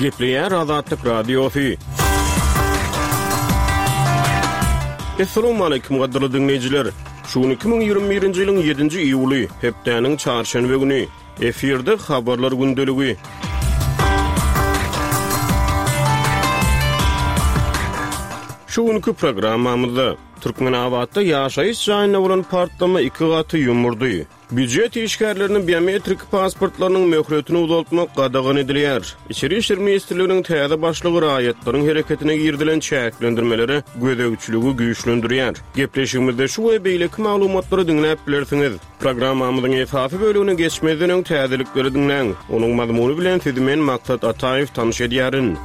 Gepleýär Azatlyk Radiosy. Assalamualaikum gadyrly diňleýjiler. Şu gün 2021-nji ýylyň 7-nji iýuly, hepdäniň çarşenbe güni. Efirde habarlar gündeligi. Şu günki programmamyzda Türkmenabatda ýaşaýyş jaýynda bolan partlama iki gaty ýumurdy. Býujet işgärleriniň biometrik pasportlarynyň möhletini uzaltmak gadagan edilýär. Içeri işler ministrliginiň täze başlygy raýatlaryň hereketine girizilen çäklendirmelere gözegçiligi güýçlendirýär. Gepleşigimizde şu we beýleki maglumatlary diňläp bilersiňiz. Programmamyzyň esasy bölegine geçmezden öň täzelikleri diňläň. Onuň mazmuny bilen sizi men Maksat Ataýew tanyş edýärin.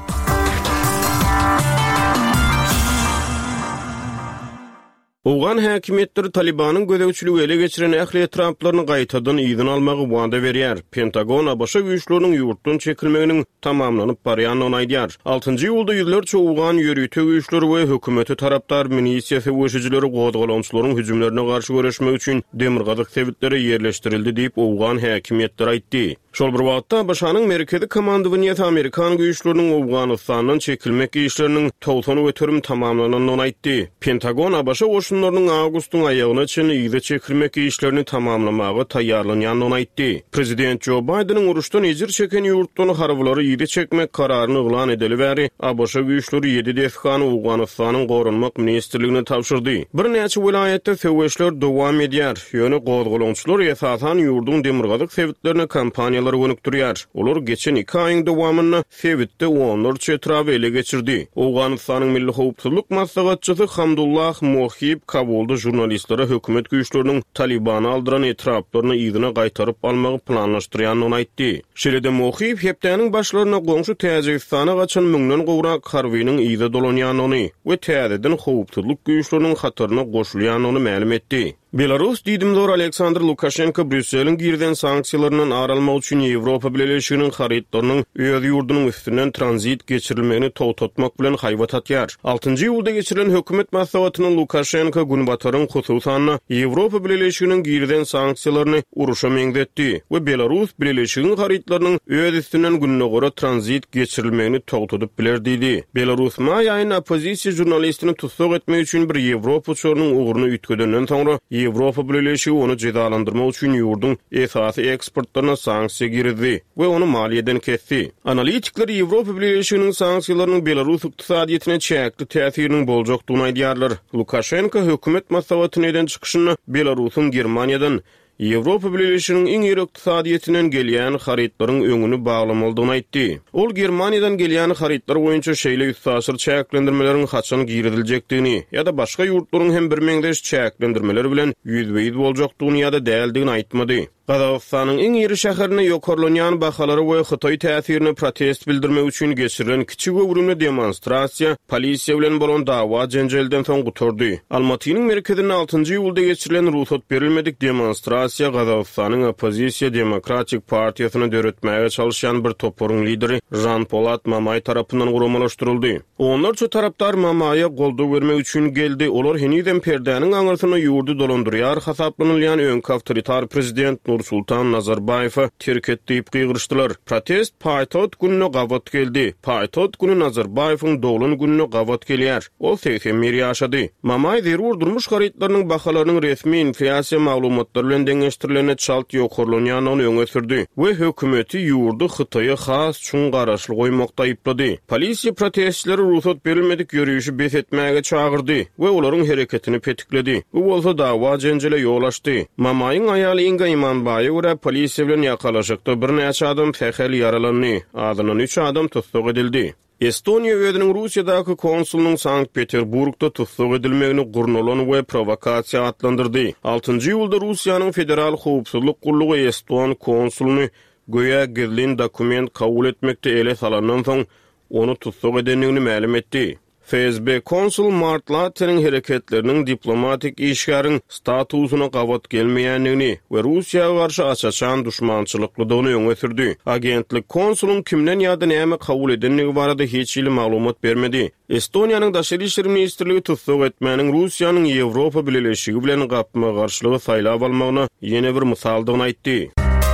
Owgan häkimiýetleri Talybanyň gözegçiligi ele geçiren ähli etraplaryny gaýtadan yzyna almagy wada berýär. Pentagon ABŞ güýçleriniň ýurtdan çekilmeginiň tamamlanyp barýandygyny aýdýar. Altynjy iýulda ýüzlerçe owgan ýörite güýçleri we hökümete tarapdar milisiýa söweşijileri gozgalaňçylaryň hüjümlerine garşy göreşmek üçin demirgazyk sebitlere ýerleşdirildi diýip, owgan häkimiýetleri aýtdy. Şol bir wagtda, ABŞ-nyň Merkezi komandowaniýesi amerikan güýçleriniň Owganystandan çekilmek işleriniň 90% tamamlanandygyny aýtdy. Pentagon ABŞ goşunlarynyň awgustyň aýagyna çenli yza çekilmek işlerini tamamlamaga taýýarlanýandygyny aýtdy. Prezident Jo Baýdeniň uruşdan ejir çeken ýurtdan harbylary yza çekmek kararyny yglan edeli bäri, ABŞ güýçleri ýedi desgany Owganystanyň Goranmak ministrligine tabşyrdy. Birnäçe welaýatda söweşler dowam edýär. Ýöne gozgalaňçylar esasan ýurduň demirgazyk sebitlerine kampaniýalary gönükdirýär. Olar geçen iki aýyň dowamynda sebitde onlarça etraby ele geçirdi. Owganystanyň milli howpsuzlyk maslahatçysy Hamdullah Mohib Kabulda žurnalistlere hökümet güýçleriniň Talybana aldyran etraplaryny yzyna gaýtaryp almagy planlaşdyrýandygyny aýtdy. Şeýle-de Mohib hepdäniň başlarynda goňşy Täjigistana gaçan müňden gowrak harbynyň yza dolanýandygyny we täzeden howpsuzlyk güýçleriniň hataryna goşulýandygyny mälim etdi. Belarus diýdimzor Aleksandr Lukaşenko Brýusseliň girizen sanksiýalaryndan ar almak üçin Ýewropa Bileleşiginiň harytlarynyň öz ýurdunyň üstünden tranzit geçirilmegini togtatmak bilen haýbat atýar. Altynjy iýulda geçirilen hökümet maslahatynda Lukaşenko Günbataryň, hususan-da, Ýewropa Bileleşiginiň girizen sanksiýalaryny uruşa meňzetdi we Belarus Bileleşigiň harytlarynyň öz üstünden Gündogara tranzit geçirilmegini togtadyp biler diýdi. Belarus maý aýynda oppozisiýa žurnalistini tussag etmek üçin bir ýewropa uçarynyň ugruny üýtgedenden soňra, Ýewropa Bileleşigi ony jezalandyrmak üçin ýurduň esasy eksportlaryna sanksiýa girizdi we ony maliýeden kesdi. Analitikler Ýewropa Bileleşiginiň sanksiýalarynyň belarus ykdysadyýetine çäkli täsiriniň boljakdygyny aýdýarlar. Lukaşenko hökümet maslahatynda eden çykyşynda Belarusyň Germaniýadan Ýewropa Bileleşiginiň iň iri ykdysadyýetinden gelýän harytlaryň öňüni baglamalydygyny aýtdy. Ol Germaniýadan gelýän harytlar boýunça şeýle üstaşyr çäklendirmeleriň haçan giriziljekdigini ýa-da başga ýurtlaryň hem birmeňzeş çäklendirmeler bilen ýüzbe-ýüz boljakdygyny ýa-da däldigini aýtmady. Gazagystanyň iň iri şäherinde ýokarlanýan bahalara we hytaý täsirine protest bildirmek üçin geçirilen kiçi göwrümli demonstrasiýa polisiýa bilen bolan dawa-jenjelden soň gutardy. Almatynyň merkezinde altynjy iýulda geçirilen rugsat berilmedik demonstrasiýa Gazagystanyň oppozisiýa Demokratik partiýasyny döretmäge çalyşýan bir toparyň lideri Žanpolat Mamaý tarapyndan guramalaşdyryldy. Onlarça tarapdar Mamaýa goldaw bermek üçin geldi, olar henizem perdäniň aňyrsynda ýurdy dolandyrýar hasaplanylýan öňki awtoritar prezident Nursultan Nazarbaýewe terk et diýip gygyryşdylar. Protest paýtagt gününe gabat geldi. Paýtagt güni Nazarbaýewiň doglan gününe gabat gelýär. Ol 81 ýaşady. Mamaý zerur durmuş harytlarynyň bahalarynyň resmi inflýasiýa maglumatlary bilen deňeşdirilende çalt ýokarlanýandygyny öňe sürdi we hökümeti ýurdy Hytaýa has çuň garaşly goýmakda aýyplady. Polisiýa protestçileri rugsat berilmedik ýörişi bes etmäge çagyrdy we olaryň hereketini petikledi. Bu bolsa dawa-jenjele ýol açdy. Mamaýyň aýaly Inga Imanbaýa görä, polisiýa bilen ýakalaşykda birnäçe adam sähel ýaralandy, azyndan üç adam tussag edildi. Estoniýa özüniň Russiýadaky konsulynyň Sankt-Peterburgda tussag edilmegini gurnalan we prowokasiýa atlandyrdy. Altynjy iýulda Russiýanyň Federal howpsuzlyk gullugy eston konsulyny göýä gizlin dokument kabul etmekde ele salandan soň, ony tussag edendigini mälim etdi. FSB konsul Mart Lateniň hereketleriniň diplomatik işgäriň statusyna gabat gelmeýändigini we Russiýa garşy aç-açan duşmançylyklydygyny öňe sürdi. Agentlik konsulyň kimden ýa-da näme kabul edendigi barada hiç hili maglumat bermedi. Estoniýanyň Daşary işler ministrligi tussag etmäniň Russiýanyň Ýewropa Bileleşigi bilen gapma-garşylygy saýlap almagyna ýene bir mysaldygyny aýtdy.